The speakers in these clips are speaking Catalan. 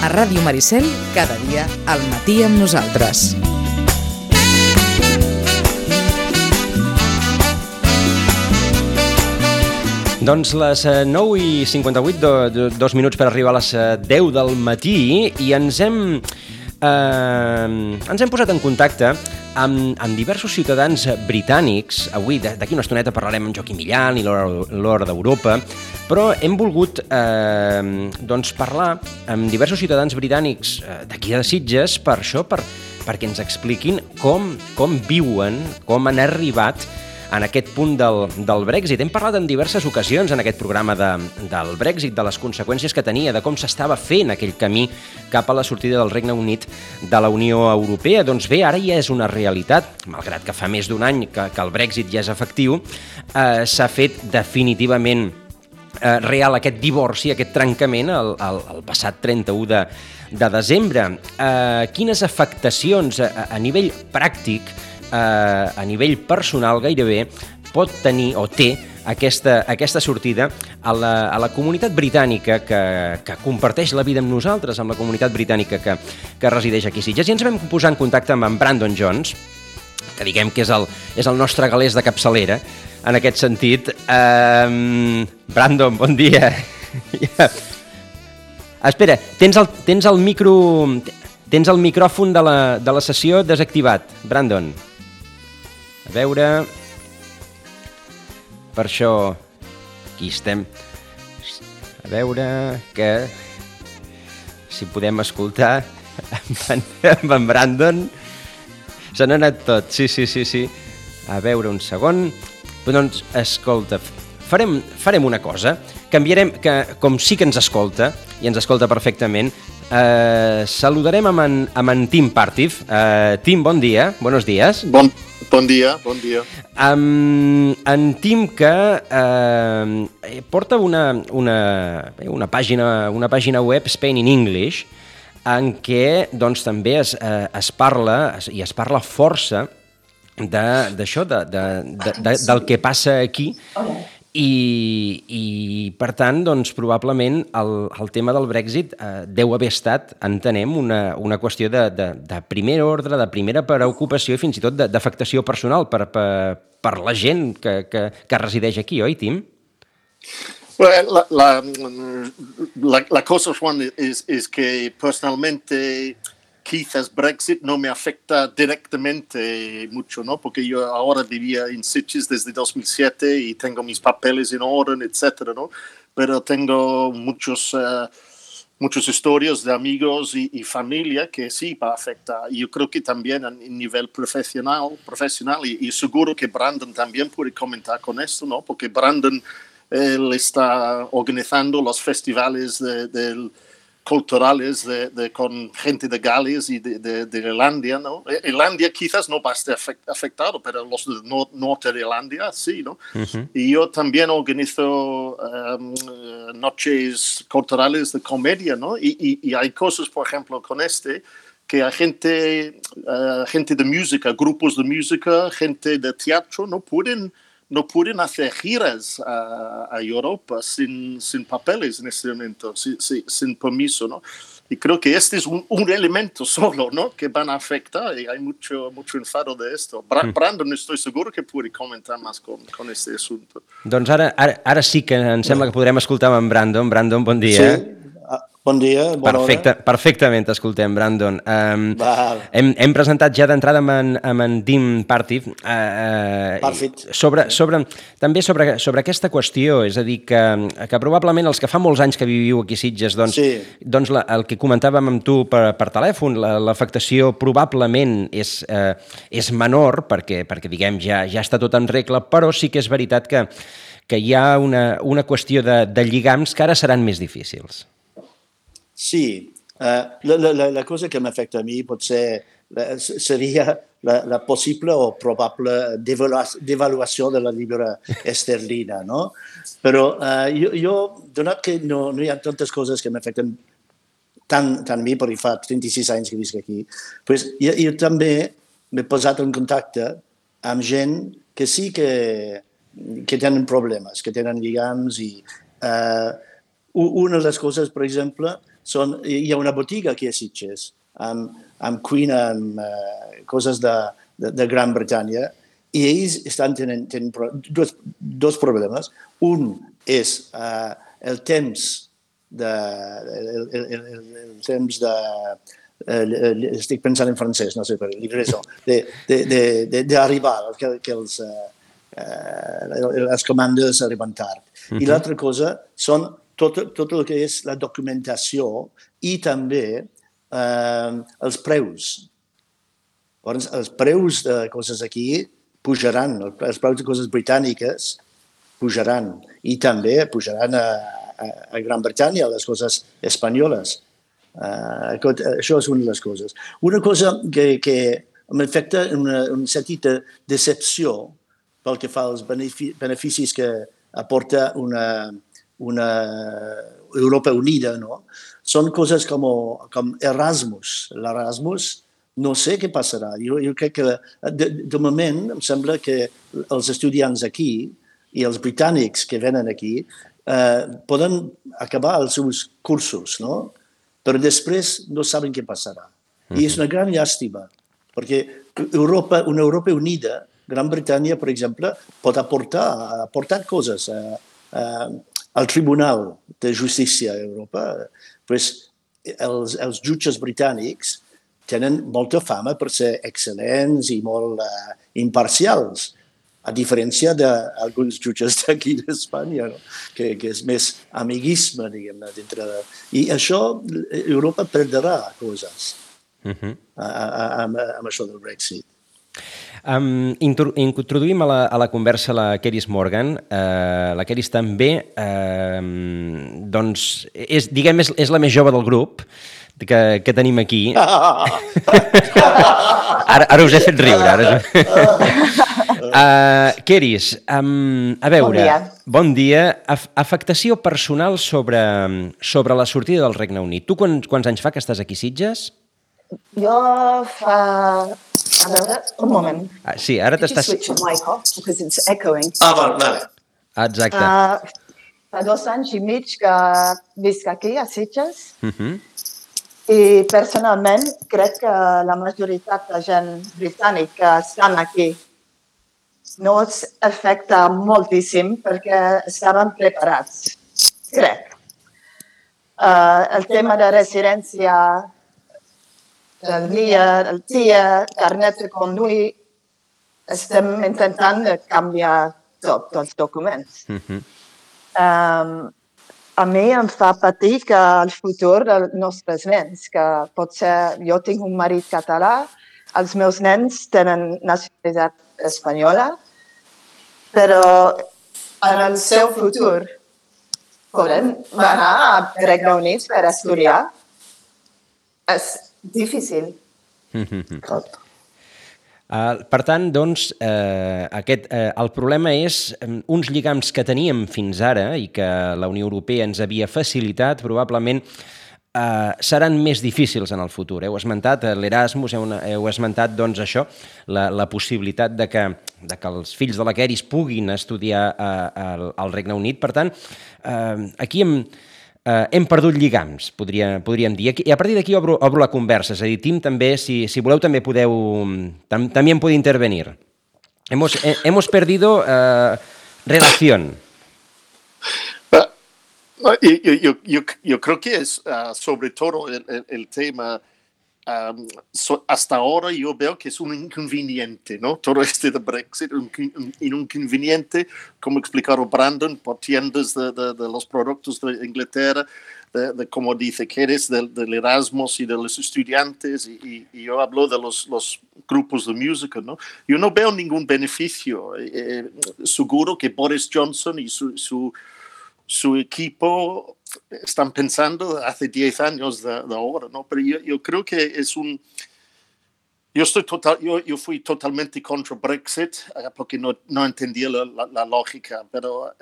A Ràdio Maricel, cada dia al matí amb nosaltres. Doncs les 9:58, 2 minuts per arribar a les 10 del matí, i ens hem posat en contacte amb diversos ciutadans britànics. Avui, d'aquí una estoneta, parlarem amb Joaquim Millan i l'Hora d'Europa, però hem volgut parlar amb diversos ciutadans britànics d'aquí de Sitges per això, perquè ens expliquin com viuen, com han arribat en aquest punt del Brexit. Hem parlat en diverses ocasions en aquest programa del Brexit, de les conseqüències que tenia, de com s'estava fent aquell camí cap a la sortida del Regne Unit de la Unió Europea. Doncs bé, ara ja és una realitat, malgrat que fa més d'un any que el Brexit ja és efectiu, s'ha fet definitivament real aquest divorci, aquest trencament el passat 31 de desembre. Quines afectacions a nivell pràctic, a nivell personal gairebé, pot tenir o té aquesta sortida a la comunitat britànica que comparteix la vida amb nosaltres, amb la comunitat britànica que resideix aquí a Sitges. I ens vam posar en contacte amb en Brandon Jones, que diguem que és el nostre galès de capçalera, en aquest sentit. Brandon, bon dia. Espera, tens el micròfon de la sessió desactivat, Brandon. A veure... Per això... Aquí estem. A veure que... Si podem escoltar amb en Brandon. Se n'ha anat tot, sí. A veure, un segon. Doncs, escolta, farem una cosa. Canviarem, que com sí que ens escolta, i ens escolta perfectament, saludarem amb en Tim Partif. Tim, bon dia, buenos días. Bon dia. En Tim, que porta una pàgina web, Spain in English, en què doncs, també es parla força d'això, del que passa aquí. I per tant, doncs, probablement el tema del Brexit deu haver estat, entenem, una qüestió de primer ordre, de primera preocupació i fins i tot d'afectació personal per la gent que resideix aquí, oi, Tim? La cosa, Juan, es que personalmente quizás Brexit no me afecta directamente mucho, ¿no? Porque yo ahora vivía en Sitges desde 2007 y tengo mis papeles en orden, etcétera, ¿no? Pero tengo muchos historias de amigos y familia que sí va a afectar. Y yo creo que también a nivel profesional y seguro que Brandon también puede comentar con esto, ¿no? Porque Brandon él está organizando los festivales culturales con gente de Gales y de Irlanda, ¿no? Irlanda quizás no va a estar afectado, pero los de norte de Irlanda sí, ¿no? Uh-huh. Y yo también organizo noches culturales de comedia, ¿no? Y hay cosas, por ejemplo, con que hay gente de música, grupos de música, gente de teatro, no pueden hacer giras a Europa sin papeles en este momento, sin permiso, ¿no? Y creo que este es un elemento solo, ¿no? Que van a afectar y hay mucho enfado de esto. Brandon, estoy seguro que puede comentar más con este asunto. Doncs ara sí que em sembla que podrem escoltar amb en Brandon. Brandon, bon dia. Sí. Bon dia, bona hora. Perfectament t'escoltem, Brandon. Hem presentat ja d'entrada amb en Tim Partif també sobre aquesta qüestió, és a dir, que probablement els que fa molts anys que viviu aquí a Sitges, doncs el que comentàvem amb tu per telèfon, l'afectació probablement és menor, perquè diguem, ja està tot en regla, però sí que és veritat que hi ha una qüestió de lligams que ara seran més difícils. Sí, la cosa que m'afecta a mi potser seria la possible o probable devaluació de la llibre esterlina, no? Però jo, donat que no hi ha tantes coses que m'afecten tant a mi, perquè fa 36 anys que visc aquí, pues jo també m'he posat en contacte amb gent que sí que tenen problemes, que tenen lligams i una de les coses, per exemple, hi ha una botiga aquí a Sitges amb cuina, amb coses de Gran Bretanya, i ells estan tenint dos problemes. Un és el temps estic pensant en francès, no sé per livraison, d'arribar, que les comandes arriben tard. I l'altra cosa són tot el que és la documentació i també els preus. Els preus de coses aquí pujaran, els preus de coses britàniques pujaran i també pujaran a Gran Bretanya, les coses espanyoles. Això és una de les coses. Una cosa que m'afecta un sentit de decepció pel que fa als beneficis que aporta una Europa unida, no? Són coses com Erasmus. L'Erasmus, no sé què passarà. Jo crec que, de moment, em sembla que els estudiants aquí i els britànics que venen aquí poden acabar els seus cursos, no? Però després no saben què passarà. I és una gran llàstima, perquè una Europa unida, Gran Bretanya, per exemple, pot aportar coses al Tribunal de Justícia d'Europa. Els jutges britànics tenen molta fama per ser excel·lents i molt imparcials, a diferència d'alguns jutges d'aquí d'Espanya, no? Que és més amiguisme, diguem-ne, dintre de... I això, Europa perdrà coses amb això del Brexit. Introduïm a la conversa la Keris Morgan. La Keris també doncs, és la més jove del grup que tenim aquí. Ara us he fet riure. Keris, a veure... Bon dia. Afectació personal sobre la sortida del Regne Unit. Tu quants anys fa que estàs aquí a Sitges? Jo fa... A veure, un moment. Sí, ara t'estàs... Switch the mic off, because it's echoing. Vale. Exacte. Fa 2 anys i mig que visc aquí, a Sitges, i personalment crec que la majoritat de gent britànica que estan aquí no els afecta moltíssim perquè estaven preparats, crec. El tema de residència, el guia, el TIA, carnet de conduir, estem intentant canviar tots els documents. A mi em fa patir que el futur dels nostres nens, que potser jo tinc un marit català, els meus nens tenen nacionalitat espanyola, però en el seu futur poden anar a Regne Unit per estudiar. És difícil. Per tant, doncs, el problema és uns lligams que teníem fins ara i que la Unió Europea ens havia facilitat, probablement seran més difícils en el futur. Heu esmentat l'Erasmus, heu esmentat doncs, això, la possibilitat de que els fills de la Keris puguin estudiar al Regne Unit. Per tant, aquí hem perdut lligams, podríem dir. I a partir d'aquí obro la conversa. És a dir, Tim, també, si voleu, també podeu... También puede intervenir. Hemos perdido relación. Yo creo que es sobre todo el tema, hasta ahora yo veo que es un inconveniente, ¿no? Todo este de Brexit, un inconveniente, como explicaron Brandon, por tiendas de los productos de Inglaterra, de como dice Keris, del Erasmus y de los estudiantes, y yo hablo de los grupos de música, ¿no? Yo no veo ningún beneficio. Seguro que Boris Johnson y su equipo están pensando hace 10 años de ahora, ¿no? Pero yo creo que es un... Yo fui totalmente contra Brexit porque no entendía la lógica, pero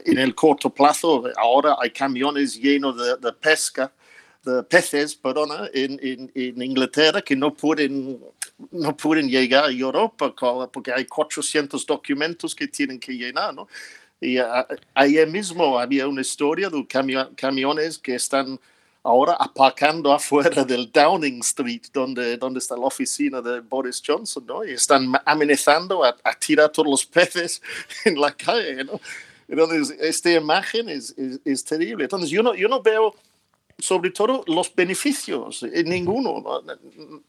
en el corto plazo ahora hay camiones llenos de peces, en Inglaterra que no pueden llegar a Europa porque hay 400 documentos que tienen que llenar, ¿no? Y ayer mismo había una historia de camiones que están ahora aparcando afuera del Downing Street, donde está la oficina de Boris Johnson, ¿no? Y están amenazando a tirar todos los peces en la calle, ¿no? Entonces, esta imagen es terrible. Entonces, yo no veo, sobre todo, los beneficios, ninguno, ¿no?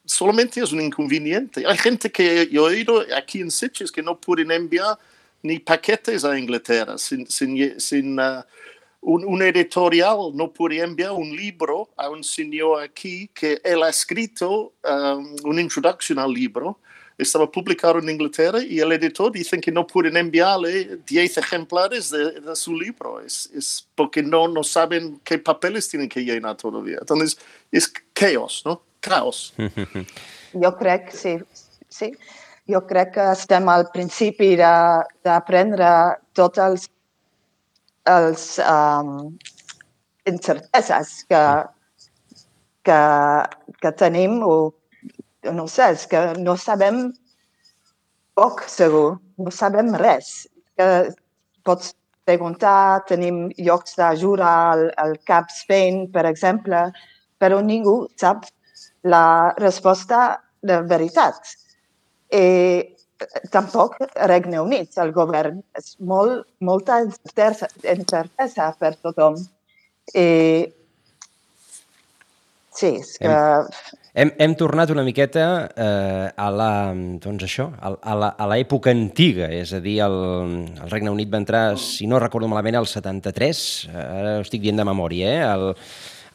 Solamente es un inconveniente. Hay gente que yo he oído aquí en Sitges que no pueden enviar ni paquetes a Inglaterra sin un editorial, no puede enviar un libro a un señor aquí que él ha escrito una introducción al libro. Estaba publicado en Inglaterra y el editor dice que no pueden enviarle 10 ejemplares de su libro. Es porque no saben qué papeles tienen que llenar todavía. Entonces, es caos, ¿no? Caos. Jo crec, sí. Jo crec que estem al principi d'aprendre tots els incerteses que tenim, o no sé, és que no sabem poc segur, no sabem res. Que pots preguntar, tenim llocs d'ajuda al Cap Spain, per exemple, però ningú sap la resposta de veritat. I tampoc Regne Unit, el govern, és molta incertesa per tothom. I sí, és que... Hem tornat una miqueta a l'època antiga, és a dir, el Regne Unit va entrar, si no recordo malament, al 73, ara ho estic dient de memòria,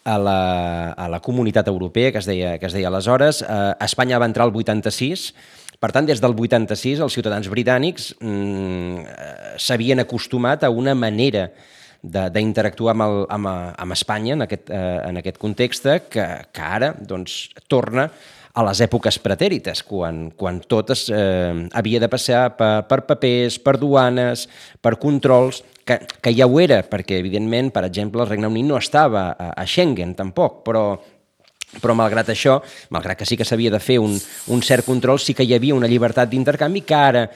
a la Comunitat Europea, que es deia aleshores. Espanya va entrar al 86, per tant, des del 86 els ciutadans britànics s'havien acostumat a una manera d'interactuar amb Espanya en aquest context que ara torna a les èpoques pretèrites, quan tot havia de passar per papers, per duanes, per controls, que ja ho era, perquè, evidentment, per exemple, el Regne Unit no estava a Schengen, tampoc, però malgrat això, malgrat que sí que s'havia de fer un cert control, sí que hi havia una llibertat d'intercanvi que ara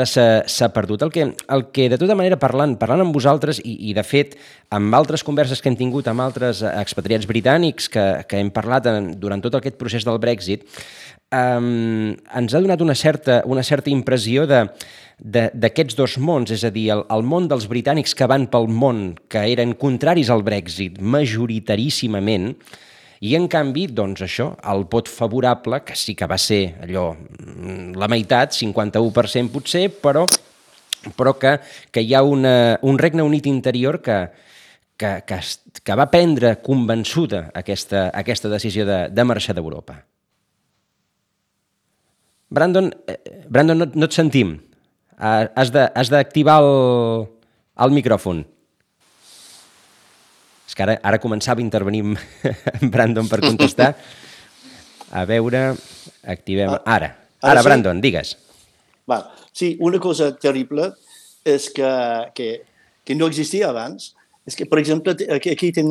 s'ha perdut. El que de tota manera, parlant amb vosaltres, i de fet amb altres converses que hem tingut amb altres expatriats britànics que hem parlat durant tot aquest procés del Brexit, ens ha donat una certa impressió d'aquests dos mons, és a dir, el món dels britànics que van pel món, que eren contraris al Brexit majoritàrissimament, i, en canvi, doncs això, el vot favorable, que sí que va ser allò, la meitat, 51% potser, però que hi ha un Regne Unit interior que va prendre convençuda aquesta decisió de marxar d'Europa. Brandon, no et sentim. Has d'activar el micròfon. És que ara començava a intervenir Brandon per contestar. A veure, activem... Ara, Brandon, digues. Sí, una cosa terrible és que no existia abans. És que, per exemple, aquí tinc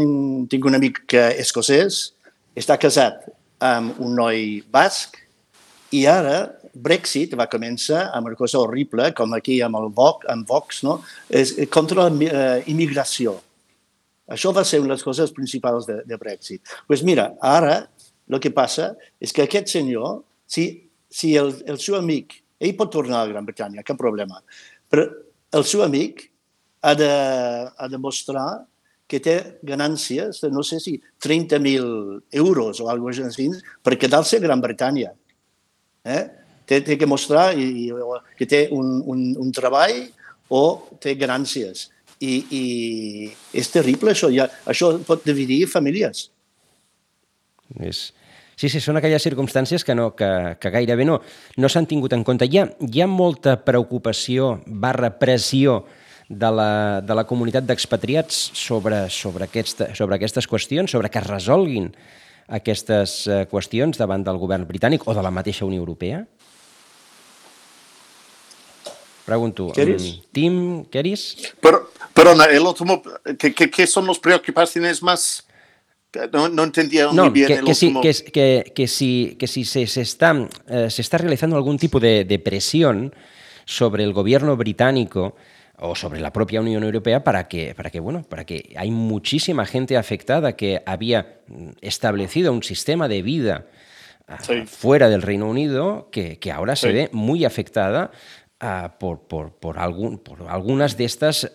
un amic escocès, està casat amb un noi basc, i ara Brexit va començar amb una cosa horrible, com aquí amb Vox, no? És contra la immigració. Això va ser una de les coses principals de Brexit. Doncs mira, ara el que passa és que aquest senyor, si el seu amic, ell pot tornar a Gran Bretanya, cap problema, però el seu amic ha de mostrar que té ganàncies de, no sé si, 30.000 euros o alguna cosa així per quedar-se a Gran Bretanya. Té que mostrar que té un treball o té ganàncies. I és terrible això, això pot dividir famílies. Sí, són aquelles circumstàncies que gairebé no s'han tingut en compte. Hi ha molta preocupació / pressió de la comunitat d'expatriats sobre aquestes qüestions, sobre que es resolguin aquestes qüestions davant del govern britànic o de la mateixa Unió Europea? Pregunto, Tim, ¿queréis? Perdona, el último, ¿qué son las preocupaciones más? No entendía muy bien el último. Que si se está realizando algún tipo de presión sobre el gobierno británico o sobre la propia Unión Europea para que hay muchísima gente afectada que había establecido un sistema de vida fuera del Reino Unido que ahora se ve muy afectada por algunas de estas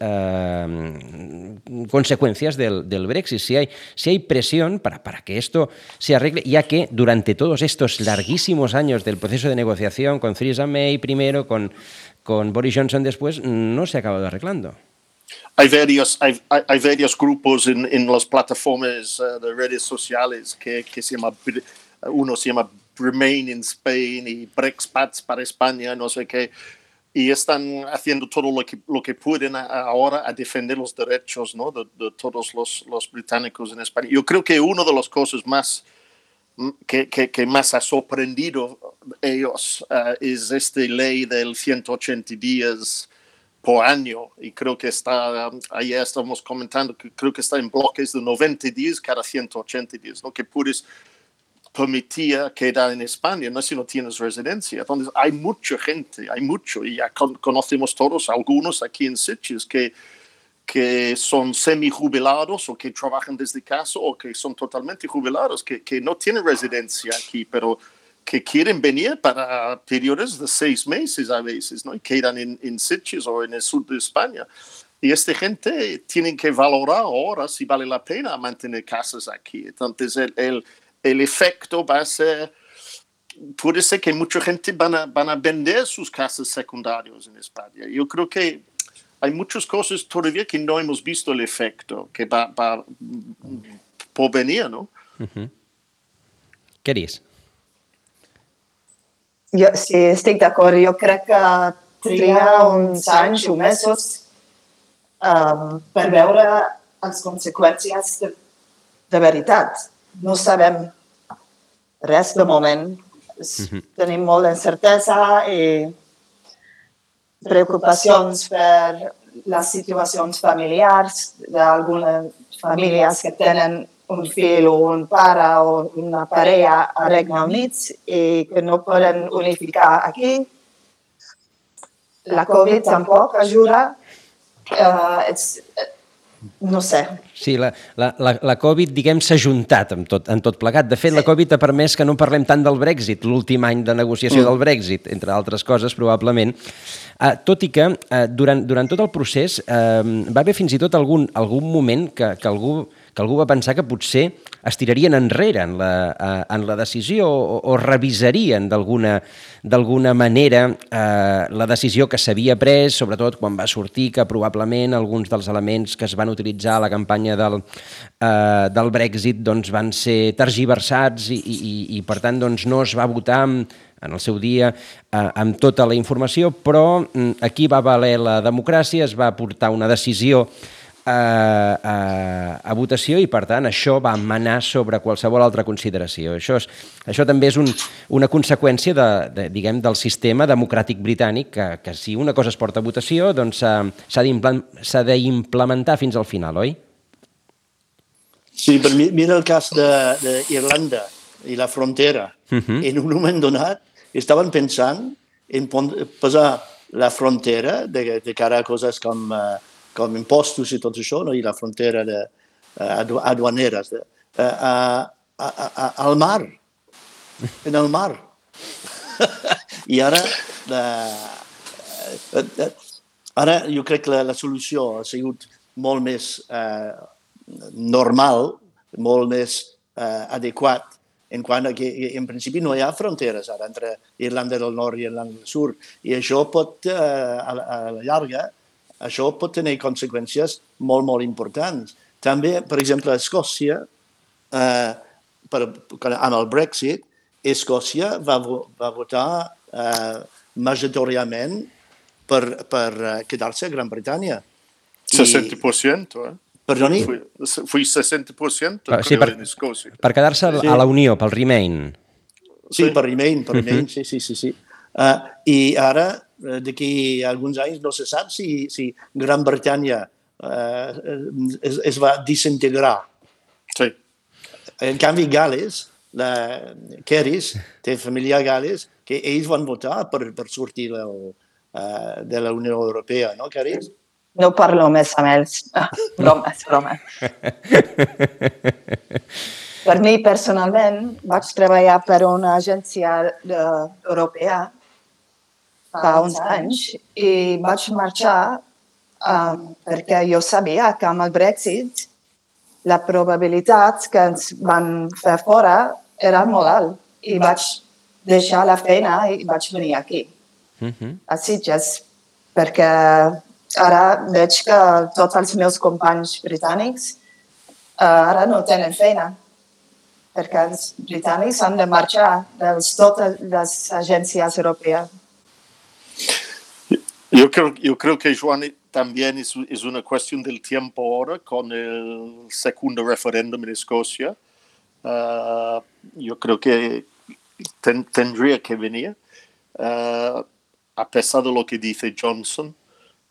consecuencias del Brexit. Si hay presión para que esto se arregle, ya que durante todos estos larguísimos años del proceso de negociación con Theresa May primero, con Boris Johnson después, no se ha acabado arreglando. Hay varios grupos en las plataformas de redes sociales que uno se llama Remain in Spain y Brexpats para España, no sé qué, y están haciendo todo lo que pueden ahora a defender los derechos, ¿no? de todos los británicos en España. Yo creo que una de las cosas más que más ha sorprendido ellos es esta ley del 180 días por año, y creo que ayer estamos comentando que creo que está en bloques de 90 días cada 180 días, ¿no? Que puedes permitir quedar en España, no si no tienes residencia. Entonces hay mucha gente, y ya conocemos todos algunos aquí en Sitges que son semi-jubilados o que trabajan desde casa o que son totalmente jubilados, que no tienen residencia aquí, pero que quieren venir para periodos de 6 meses a veces, ¿no? Y quedan en Sitges o en el sur de España. Y esta gente tiene que valorar ahora si vale la pena mantener casas aquí. Entonces el efecto va a ser, puede ser que mucha gente van a vender sus casas secundarias en España. Yo creo que hay muchas cosas todavía que no hemos visto el efecto que va por venir, ¿no? Uh-huh. Què dius? Jo sí, estic d'acord. Jo crec que triga uns anys o mesos per veure les conseqüències de veritat. No sabem res de moment. Tenim molta incertesa i preocupacions per les situacions familiars d'algunes famílies que tenen un fill o un pare o una parella a Regne Unit i que no poden unificar aquí. La Covid tampoc ajuda. No sé. Sí, la Covid, diguem, s'ha juntat en tot plegat. De fet, la Covid ha permès que no parlem tant del Brexit, l'últim any de negociació del Brexit, entre altres coses, probablement. Tot i que durant tot el procés va haver fins i tot algun moment que algú va pensar que potser es tirarien enrere en la decisió o revisarien d'alguna manera la decisió que s'havia pres, sobretot quan va sortir que probablement alguns dels elements que es van utilitzar a la campanya del Brexit doncs, van ser tergiversats i per tant doncs, no es va votar en el seu dia amb tota la informació, però aquí va valer la democràcia, es va portar una decisió a votació i, per tant, això va manar sobre qualsevol altra consideració. Això també és una conseqüència del sistema democràtic britànic que si una cosa es porta a votació doncs s'ha d'implementar fins al final, oi? Sí, però mira el cas d'Irlanda i la frontera. En un moment donat estaven pensant en posar la frontera de cara a coses com impostos i tot això, no? I la frontera aduaneres al mar, en el mar. I ara jo crec que la solució ha sigut molt més normal, molt més adequat, en quant a que en principi no hi ha fronteres ara entre Irlanda del Nord i Irlanda del Sud. I això pot, a la llarga, això pot tenir conseqüències molt, molt importants. També, per exemple, a Escòcia, amb el Brexit, Escòcia va votar majoritàriament per quedar-se a Gran Bretanya. 60%, eh? Perdoni? Fui 60%, sí, creo, en Escòcia. Per quedar-se a la Unió, pel Remain. Sí, per Remain, sí. I ara, d'aquí a alguns anys, no se sap si Gran Bretanya es va desintegrar. Sí. En canvi, Gales, Keris, té família a Gales, que ells van votar per sortir de la Unió Europea, no, Keris? no parlo més amb ells. Broma. Per mi, personalment, vaig treballar per una agència europea fa uns anys i vaig marxar perquè jo sabia que amb el Brexit la probabilitat que ens van fer fora era molt alt i vaig deixar la feina i vaig venir aquí, a Sitges, perquè ara veig que tots els meus companys britànics ara no tenen feina, perquè els britànics han de marxar de totes les agències europees. Yo creo que, Joan, también es una cuestión del tiempo ahora con el segundo referéndum en Escocia. Yo creo que tendría que venir, a pesar de lo que dice Johnson.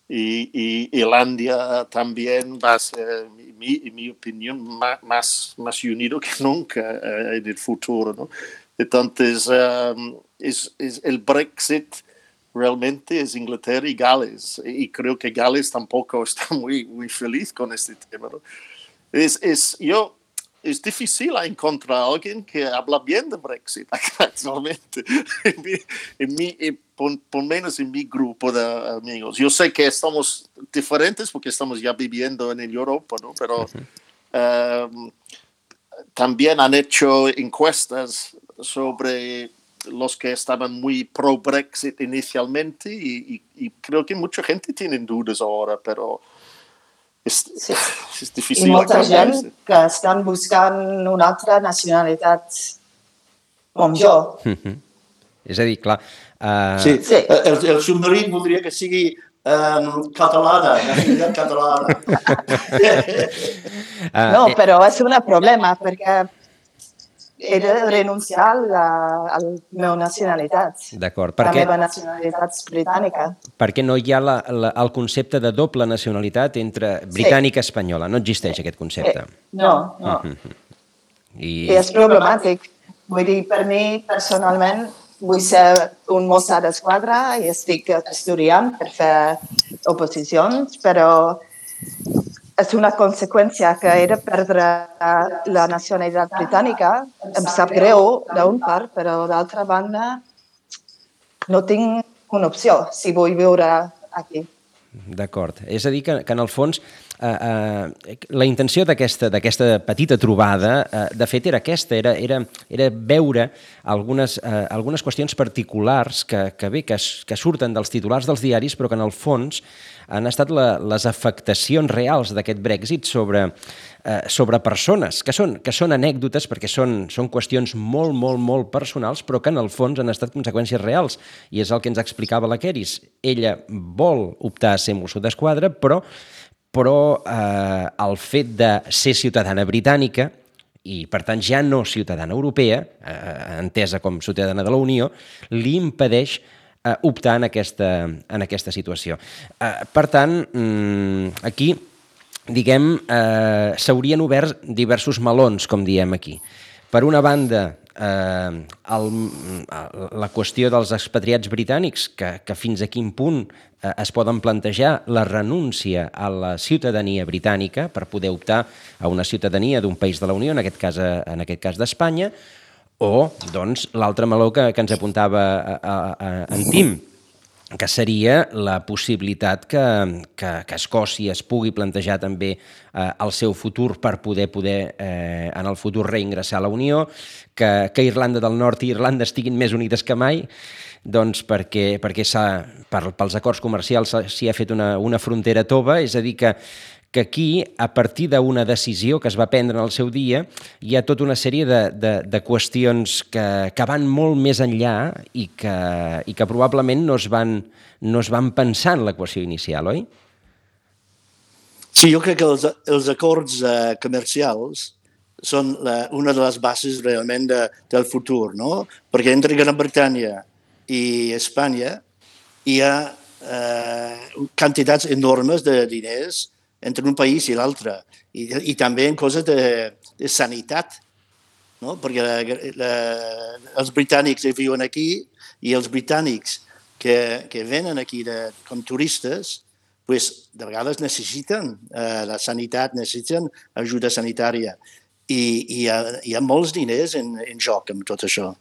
Y Irlanda también va a ser, en mi opinión, más unido que nunca en el futuro, ¿no? Entonces, es el Brexit realmente es Inglaterra y Gales. Y creo que Gales tampoco está muy feliz con este tema, ¿no? Es difícil encontrar a alguien que habla bien de Brexit actualmente, por lo menos en mi grupo de amigos. Yo sé que estamos diferentes porque estamos ya viviendo en Europa, ¿no? Pero también han hecho encuestas sobre los que estaban muy pro-Brexit inicialmente y creo que mucha gente tiene dudas ahora, pero és difícil. I molta gent que estan buscant una altra nacionalitat com jo. És a dir, clar... Sí. El submarí voldria que sigui catalana, nacionalitat catalana. No, però és un problema, perquè he de renunciar a la meva nacionalitat. D'acord. La meva nacionalitat britànica. Perquè no hi ha el concepte de doble nacionalitat entre britànica i espanyola. No existeix aquest concepte. No. I és problemàtic. Vull dir, per mi, personalment, vull ser un mossà d'esquadra i estic estudiant per fer oposicions, però és una conseqüència que he de perdre la nacionalitat britànica. Em sap greu d'un part, però d'altra banda no tinc una opció si vull viure aquí. D'acord. És a dir, que en el fons la intenció d'aquesta petita trobada, de fet, era aquesta, era veure algunes qüestions particulars que surten dels titulars dels diaris, però que en el fons han estat les afectacions reals d'aquest Brexit sobre persones, que són anècdotes perquè són qüestions molt, molt, molt personals, però que en el fons han estat conseqüències reals. I és el que ens explicava la Keris. Ella vol optar a ser mosso d'esquadra, però el fet de ser ciutadana britànica i, per tant, ja no ciutadana europea, entesa com ciutadana de la Unió, li impedeix optar en aquesta situació. Per tant, aquí, diguem, s'haurien obert diversos melons, com diem aquí. Per una banda, la qüestió dels expatriats britànics, que fins a quin punt es poden plantejar la renúncia a la ciutadania britànica per poder optar a una ciutadania d'un país de la Unió, en aquest cas d'Espanya, o doncs, l'altre meló que ens apuntava en Tim, que seria la possibilitat que Escòcia es pugui plantejar també el seu futur per poder en el futur reingressar a la Unió, que Irlanda del Nord i Irlanda estiguin més unides que mai, doncs perquè pels acords comercials s'hi ha fet una frontera tova, és a dir que aquí, a partir d'una decisió que es va prendre en el seu dia, hi ha tota una sèrie de qüestions que van molt més enllà i que probablement no es van pensar en l'equació inicial, oi? Sí, jo crec que els acords comercials són una de les bases realment del futur, no? Perquè entre Gran Bretanya i Espanya hi ha quantitats enormes de diners entre un país i l'altre, i també en coses de sanitat, no? Perquè els britànics que viuen aquí i els britànics que venen aquí com turistes, de vegades necessiten la sanitat, necessiten ajuda sanitària. I hi ha molts diners en joc amb tot això.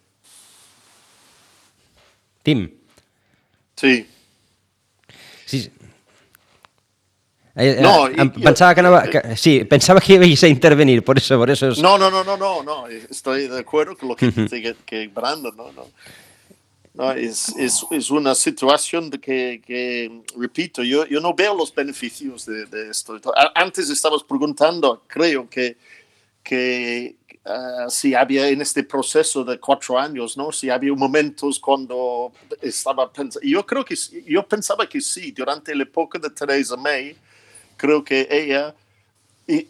Tim. Sí. Sí. Pensaba que no. Sí, pensaba que ibais a intervenir, por eso es... No, estoy de acuerdo con lo que dice que Brandon, no, es una situación que repito, yo no veo los beneficios de esto. Antes estabas preguntando, creo que si había en este proceso de 4 años, ¿no? Si había momentos cuando estaba pensando, yo pensaba que sí, durante la época de Theresa May, creo que ella,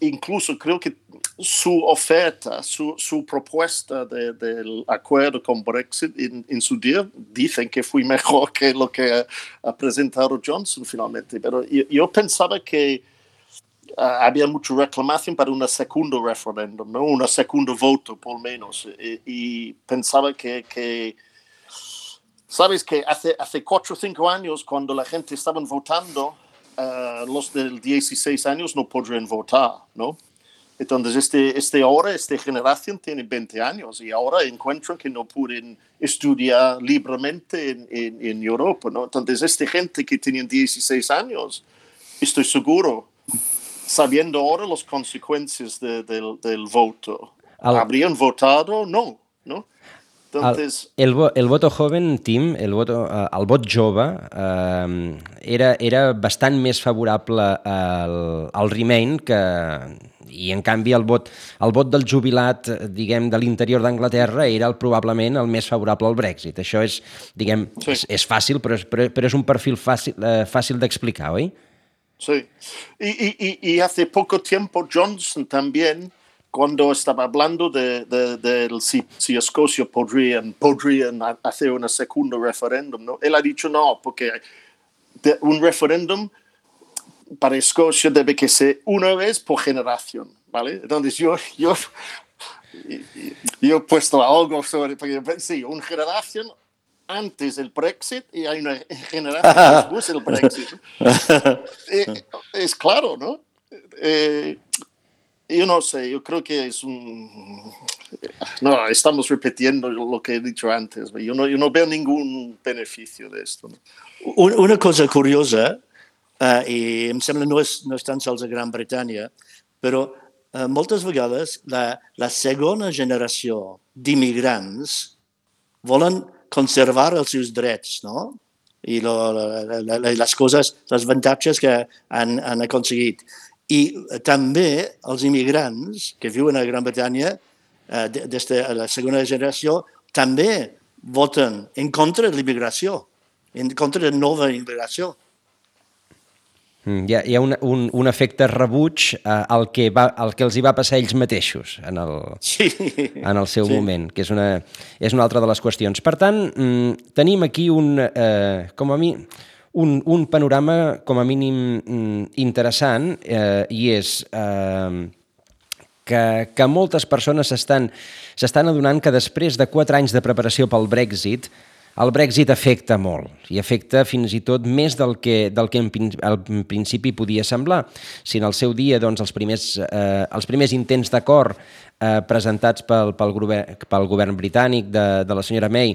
incluso creo que su oferta, su propuesta del acuerdo con Brexit en su día, dicen que fue mejor que lo que ha presentado Johnson finalmente. Pero yo pensaba que había mucha reclamación para un segundo referéndum, ¿no? Un segundo voto, por lo menos. Y pensaba que sabes que hace 4 o 5 años, cuando la gente estaba votando, los del 16 años no podrían votar, ¿no? Entonces, esta generación tiene 20 años y ahora encuentran que no pueden estudiar libremente en Europa, ¿no? Entonces, esta gente que tiene 16 años, estoy seguro, sabiendo ahora las consecuencias del voto, ¿habrían votado? No. Entonces, el voto joven, Tim, el vot jove, era bastant més favorable al Remain i en canvi el vot del jubilat, diguem, de l'interior d'Anglaterra era probablement el més favorable al Brexit. Això és, diguem, sí. És fàcil, però és un perfil fàcil d'explicar, oi? Sí. Y hace poco tiempo Johnson también, cuando estaba hablando de si Escocia podrían hacer un segundo referéndum, ¿no? Él ha dicho no, porque un referéndum para Escocia debe que ser una vez por generación, ¿vale? Entonces yo he puesto algo sobre, porque sí, una generación antes del Brexit y hay una generación después del Brexit. Es claro, ¿no? Yo no sé, yo creo que no, estamos repitiendo lo que he dicho antes. Yo no veo ningún beneficio de esto, ¿no? Una cosa curiosa, i em sembla no és tan sols a Gran Bretanya, però moltes vegades la segona generació d'immigrants volen conservar els seus drets, no? I les coses, els avantatges que han aconseguit. I també els immigrants que viuen a Gran Bretanya, des de la segona generació, també voten en contra de l'immigració, en contra de nova immigració. Hi ha un efecte rebuig al que els hi va passar ells mateixos en el seu moment, que és una altra de les qüestions. Per tant, tenim aquí un panorama com a mínim interessant i és que moltes persones s'estan adonant que després de 4 anys de preparació pel Brexit, el Brexit afecta molt i afecta fins i tot més del que al principi podia semblar. Si en el seu dia doncs, els primers intents d'acord presentats pel govern britànic de la senyora May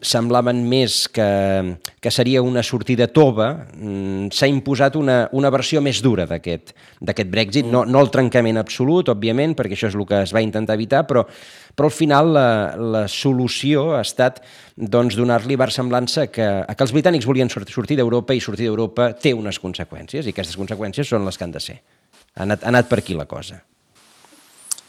semblaven més que seria una sortida tova, s'ha imposat una versió més dura d'aquest Brexit, no el trencament absolut, òbviament, perquè això és el que es va intentar evitar, però al final la solució ha estat doncs, donar-li versemblança que els britànics volien sortir d'Europa i sortir d'Europa té unes conseqüències i aquestes conseqüències són les que han de ser. Ha anat per aquí la cosa.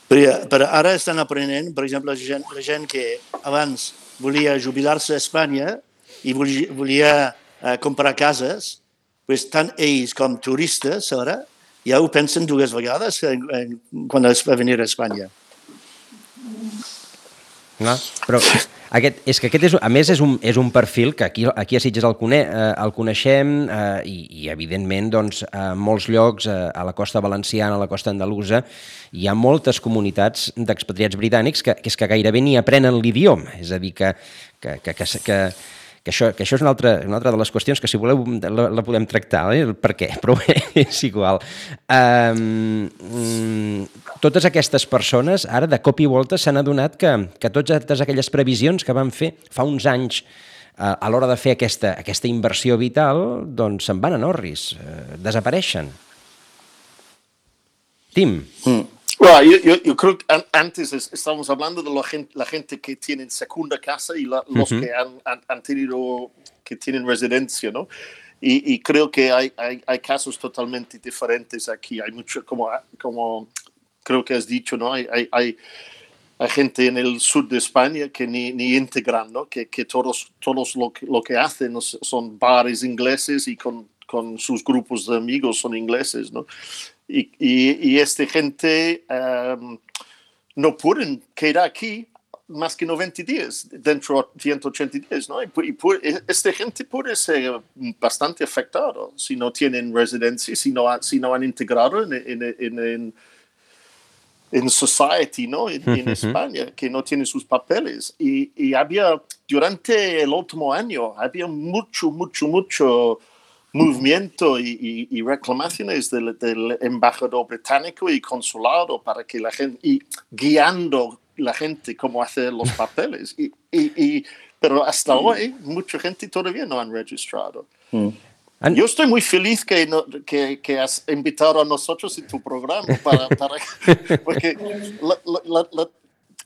Però ara estan aprenent, per exemple, la gent que abans volia jubilar-se a Espanya i volia comprar cases, tant ells com turistes ara ja ho pensen 2 vegades quan es va venir a Espanya. No, però és que aquest a més és un perfil que aquí a Sitges el coneixem i evidentment doncs, a molts llocs, a la costa valenciana, a la costa andalusa, hi ha moltes comunitats d'expatriats britànics que gairebé ni aprenen l'idioma, és a dir, que que això és una altra de les qüestions que, si voleu, la podem tractar, per què, però bé, és igual. Totes aquestes persones, ara, de cop i volta, s'han adonat que totes aquelles previsions que van fer fa uns anys a l'hora de fer aquesta inversió vital, doncs se'n van a orris, desapareixen. Tim. Bueno, yo creo que antes estábamos hablando de la gente que tienen segunda casa y los que han tenido, que tienen residencia, ¿no? Y creo que hay casos totalmente diferentes aquí. Hay mucho, como creo que has dicho, ¿no? Hay gente en el sur de España que ni integran, ¿no? Que todos lo que hacen son bares ingleses y con sus grupos de amigos son ingleses, ¿no? Y esta gente no pueden quedar aquí más que 90 días, dentro de 180 días, ¿no? Esta gente puede ser bastante afectada si no tienen residencia, si no han integrado en society, ¿no? En España, que no tienen sus papeles. Y había, durante el último año, había mucho movimiento y reclamaciones del embajador británico y consulado para que la gente, y guiando la gente cómo hacer los papeles. Pero hasta hoy, mucha gente todavía no han registrado. Yo estoy muy feliz que has invitado a nosotros en tu programa, porque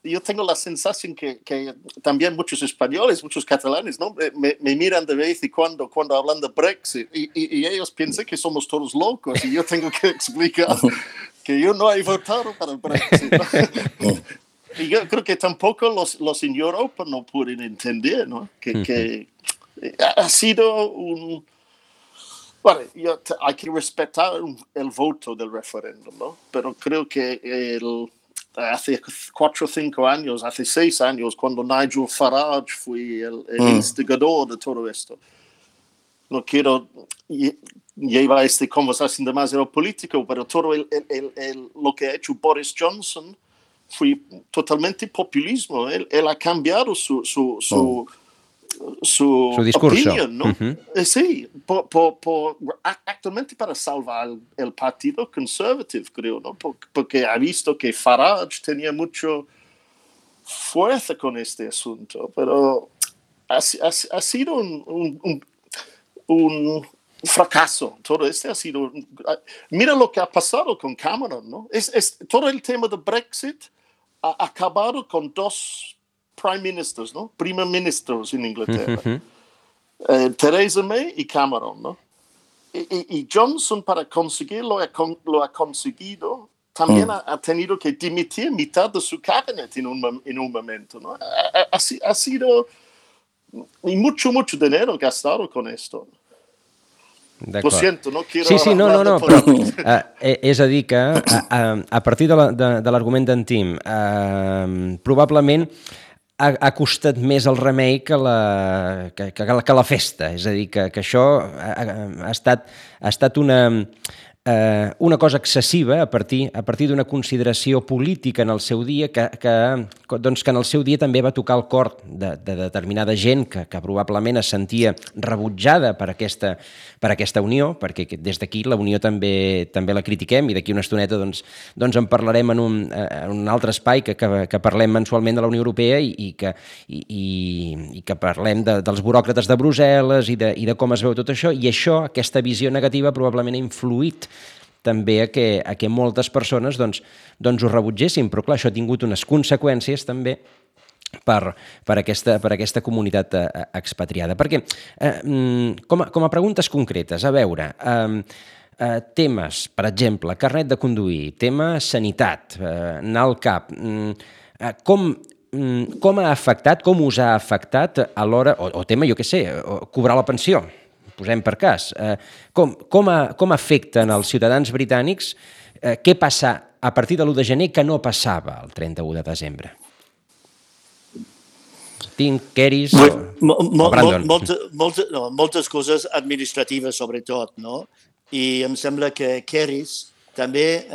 yo tengo la sensación que también muchos españoles, muchos catalanes, ¿no? me miran de vez en cuando hablan de Brexit y ellos piensan que somos todos locos y yo tengo que explicar que yo no he votado para el Brexit, ¿no? Y yo creo que tampoco los en Europa no pueden entender, ¿no? Que ha sido un... Bueno, hay que respetar el voto del referéndum, ¿no? Pero creo que hace 4 o 5 años, hace 6 años, cuando Nigel Farage fue el instigador de todo esto. No quiero llevar esta conversación demasiado político, pero todo lo que ha hecho Boris Johnson fue totalmente populismo. Él ha cambiado su discurso. Opinión, ¿no? Sí, actualmente para salvar el Partido Conservativo, creo, ¿no? Porque ha visto que Farage tenía mucha fuerza con este asunto, pero ha sido un fracaso. Todo ha sido... Mira lo que ha pasado con Cameron, ¿no? Todo el tema de Brexit ha acabado con 2 prime ministers, ¿no? Primer ministros en Inglaterra. Theresa May y Cameron, ¿no? Y Johnson, para conseguirlo, lo ha conseguido. También ha tenido que dimitir mitad de su cabinet en un momento, ¿no? Ha sido mucho dinero gastado con esto. Lo siento, no quiero... Sí, no, però és a dir que a partir de l'argument d'en Tim, probablement ha costat més el remei que la festa. És a dir, que això ha estat una cosa excessiva a partir d'una consideració política en el seu dia que en el seu dia també va tocar el cor de determinada gent que probablement es sentia rebutjada per aquesta unió, perquè des d'aquí la unió també la critiquem i d'aquí una estoneta doncs en parlarem en un altre espai que parlem mensualment de la Unió Europea i que parlem dels buròcrates de Brussel·les i de com es veu tot això, i això, aquesta visió negativa probablement ha influït també a que moltes persones doncs ho rebutgessin, però clar, això ha tingut unes conseqüències també per aquesta comunitat expatriada. Perquè, com a preguntes concretes, a veure, temes, per exemple, carnet de conduir, tema sanitat, anar al CAP, com ha afectat, com us ha afectat a l'hora, o tema, jo què sé, cobrar la pensió, posem per cas, com afecten els ciutadans britànics, què passa a partir de l'1 de gener que no passava el 31 de desembre? Tim, Keris o Brandon? Moltes coses administratives, sobretot, no? I em sembla que Keris també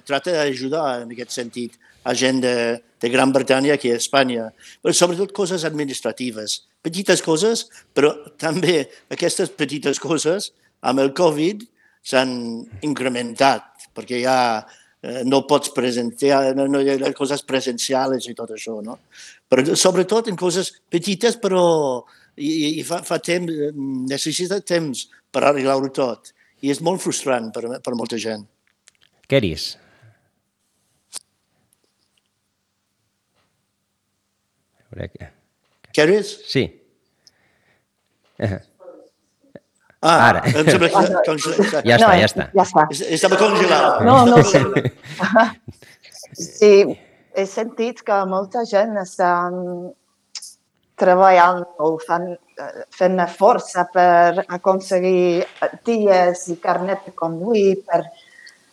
tracta d'ajudar en aquest sentit a gent de Gran Bretanya aquí a Espanya, però sobretot coses administratives, petites coses, però també aquestes petites coses amb el Covid s'han incrementat, perquè ja no pots presenciar, no hi ha coses presencials i tot això, no? Però sobretot en coses petites, però i fa temps, necessita temps per arreglar-ho tot. I és molt frustrant per molta gent. Keris. Keris? Sí. Ara. Ja està. Estava congelat. No sé. Sí, he sentit que molta gent està treballant o fent força per aconseguir dies i carnet de conduir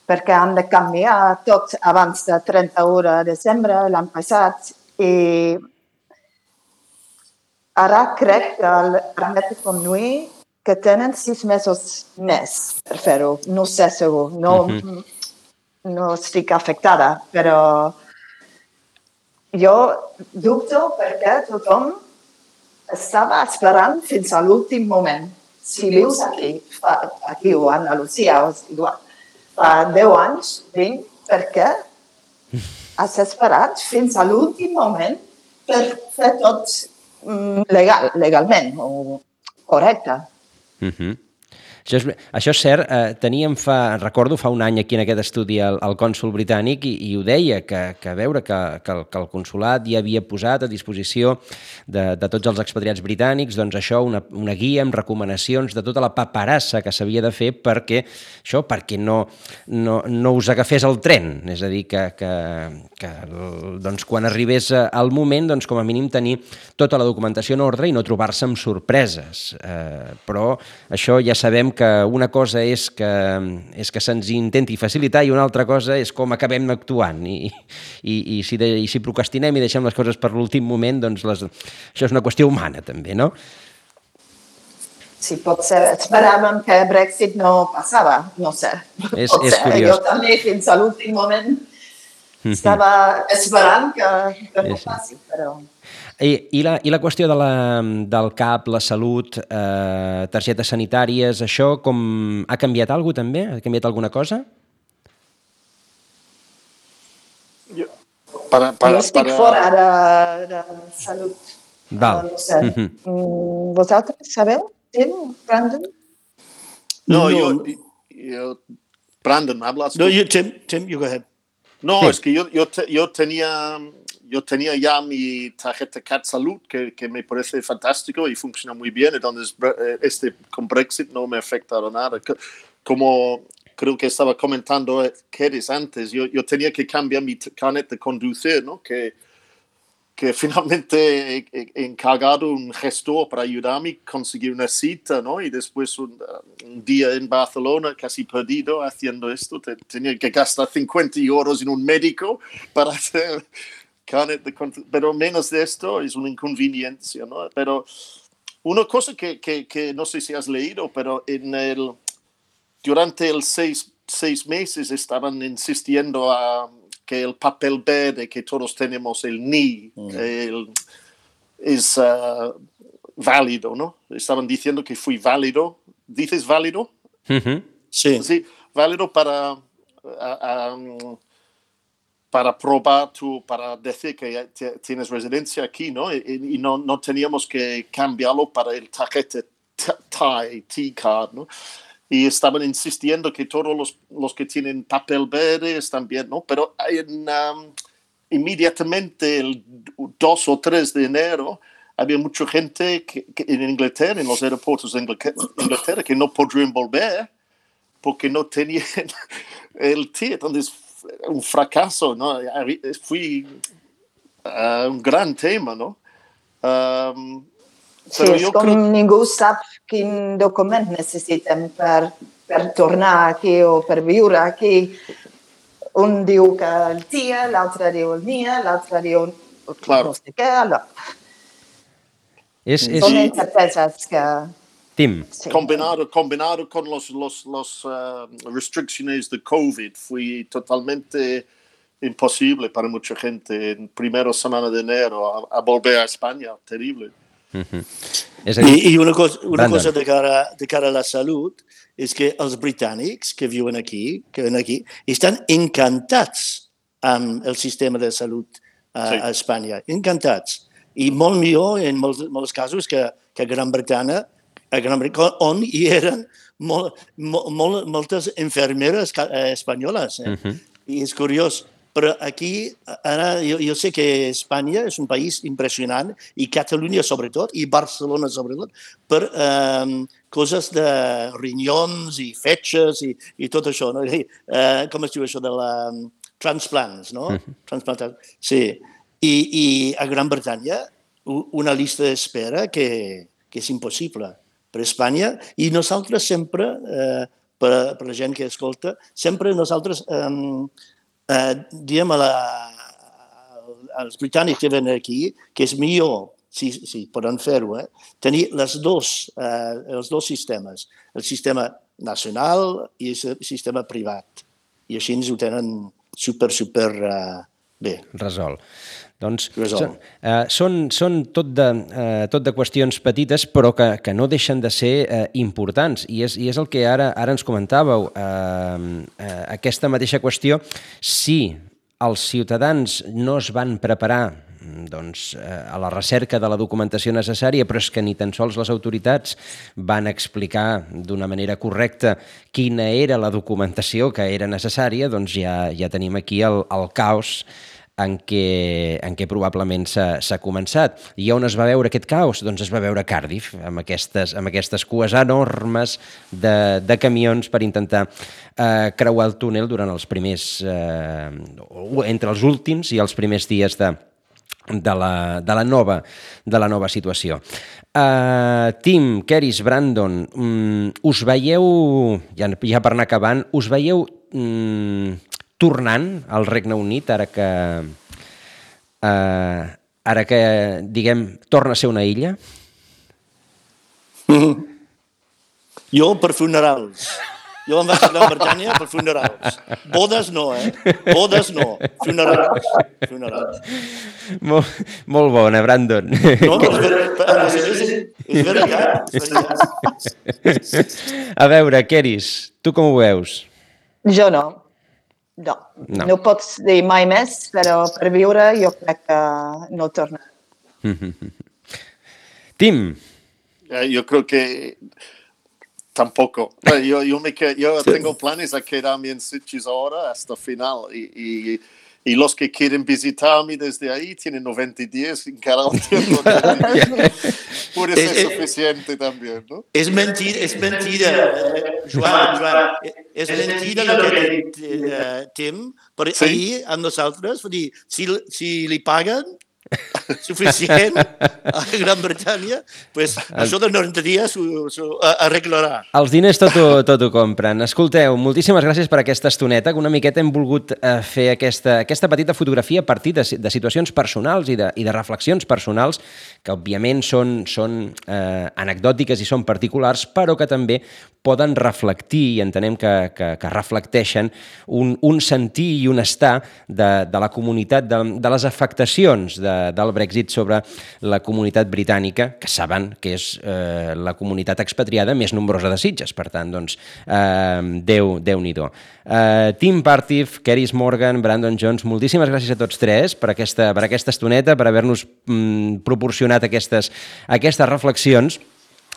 perquè han de canviar tot abans de 31 de desembre l'any passat i ara crec que el carnet de conduir que tenen 6 mesos més per fer-ho. No sé segur, no estic afectada, però jo dubto perquè tothom estava esperant fins a l'últim moment. Si vius aquí o a Andalusia, fa 10 anys, vinc perquè has esperat fins a l'últim moment per fer tot legalment o correcte. Això és cert, recordo fa un any aquí en aquest estudi el cònsol britànic i ho deia, que veure que el consolat ja havia posat a disposició de tots els expatriats britànics doncs això, una guia amb recomanacions de tota la paperassa que s'havia de fer perquè no us agafés el tren, és a dir, que doncs, quan arribés el moment, doncs, com a mínim tenir tota la documentació en ordre i no trobar-se amb sorpreses. Però això ja sabem que una cosa és que se'ns intenti facilitar i una altra cosa és com acabem actuant i si procrastinem i deixem les coses per l'últim moment, doncs això és una qüestió humana també, no? Sí, potser esperàvem que Brexit no passava, no sé. És curiós. Jo també fins a l'últim moment estava esperant que no passi, però... I la qüestió del CAP, la salut, targetes sanitàries, això com ha canviat alguna cosa també? Ha canviat alguna cosa? Jo estic fora de salut. Val. No sé. Vosaltres sabeu? Tim, Brandon? No, yo Brandon, ¿hablas? No, Tim, you go ahead. No, Sí. es que yo tenía ya mi tarjeta CAT Salud, que me parece fantástico y funciona muy bien. Entonces, con Brexit no me ha afectado nada. Como creo que estaba comentando Keris antes, yo tenía que cambiar mi carnet de conducir, ¿no? Que finalmente he encargado un gestor para ayudarme a conseguir una cita, ¿no? Y después un día en Barcelona, casi perdido haciendo esto, tenía que gastar 50 euros en un médico para hacer carnet de conducir. Pero menos de esto es una inconveniencia, ¿no? Pero una cosa que no sé si has leído, pero durante los 6 meses estaban insistiendo a que el papel verde que todos tenemos, el NI, es válido, ¿no? Estaban diciendo que fue válido. ¿Dices válido? Uh-huh. Sí. Sí, válido para probar para decir que tienes residencia aquí, ¿no? Y no teníamos que cambiarlo para el tarjeta T-Card, ¿no? Y estaban insistiendo que todos los que tienen papel verde están bien, ¿no? Pero inmediatamente el 2 o 3 de enero había mucha gente en Inglaterra, en los aeropuertos de Inglaterra, que no podrían volver porque no tenían el T. Entonces, un fracaso, ¿no? Fue un gran tema, ¿no? Sí, és com ningú sap quin document necessitem per tornar aquí o per viure aquí. Un diu que el TIA, l'altre diu el NIA, l'altre diu no sé què. Són incerteses que... Tim. Sí. Combinado con los restricciones de COVID, fue totalmente imposible para mucha gente en primera semana de enero a volver a España. Terrible. És a dir, I una cosa Brandon. de cara a la salut és que els britànics que viuen aquí, estan encantats amb el sistema de salut a Espanya, encantats. I molt millor en molts casos que a Gran Bretanya, on hi eren moltes infermeres espanyoles. I és curiós. Però aquí, ara, jo sé que Espanya és un país impressionant, i Catalunya sobretot, i Barcelona sobretot, per coses de rinyons i fetges i tot això. No? Com es diu això de la transplants, no? Transplantats. Sí. I a Gran Bretanya, una llista d'espera que és impossible per Espanya, i nosaltres sempre, per la gent que escolta, sempre nosaltres diem als britànics que venen aquí que és millor, si poden fer-ho, tenir els dos sistemes, el sistema nacional i el sistema privat. I així ens ho tenen super bé. Resolt. Doncs són tot de qüestions petites, però que no deixen de ser importants. I és el que ara ens comentàveu. Aquesta mateixa qüestió, si els ciutadans no es van preparar a la recerca de la documentació necessària, però és que ni tan sols les autoritats van explicar d'una manera correcta quina era la documentació que era necessària, doncs ja tenim aquí el caos en què probablement s'ha començat. I on es va veure aquest caos? Doncs es va veure a Cardiff, amb aquestes cues enormes de camions per intentar creuar el túnel durant els primers, entre els últims i els primers dies de la nova situació. Tim, Keris, Brandon, us veieu, ja per anar acabant, us veieu tornant al Regne Unit ara que, diguem, torna a ser una illa? Jo per funerals. Jo em vaig a Gran Bretanya per funerals. Bodes no, Bodes no. Funerals. Molt bona, Brandon. No, és veritat. A veure, Keris, tu com ho veus? Jo no. No pots dir mai més, però per viure jo crec que no torna. Tim. Yo creo que tampoco. Yo tengo planes a quedarme en Sitges ahora hasta final y los que quieren visitarme desde ahí tienen 90 días en cada tiempo. Puede ser suficiente también, ¿no? Es mentira, Joan, es mentira lo que Tim, però ahir amb nosaltres, si li paguen suficient a Gran Bretanya, pues això de 90 dies s'ho arreglarà. Els diners tot ho compren. Escolteu, moltíssimes gràcies per aquesta estoneta, que una miqueta hem volgut fer aquesta petita fotografia a partir de situacions personals i de reflexions personals, que òbviament són anecdòtiques i són particulars, però que també poden reflectir, i entenem que reflecteixen un sentir i un estar de la comunitat, de les afectacions del Brexit sobre la comunitat britànica, que saben que és la comunitat expatriada més nombrosa de Sitges. Per tant, doncs, Déu-n'hi-do. Tim Partif, Keris Morgan, Brandon Jones, moltíssimes gràcies a tots tres per aquesta estoneta, per haver-nos proporcionat aquestes reflexions.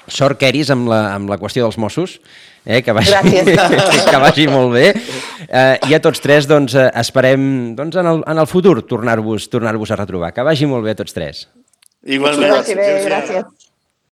Sort, Keris, amb la qüestió dels Mossos, que vagi molt bé. I a tots tres doncs, esperem en el futur tornar-vos a retrobar. Que vagi molt bé a tots tres. Igualment. Gràcies.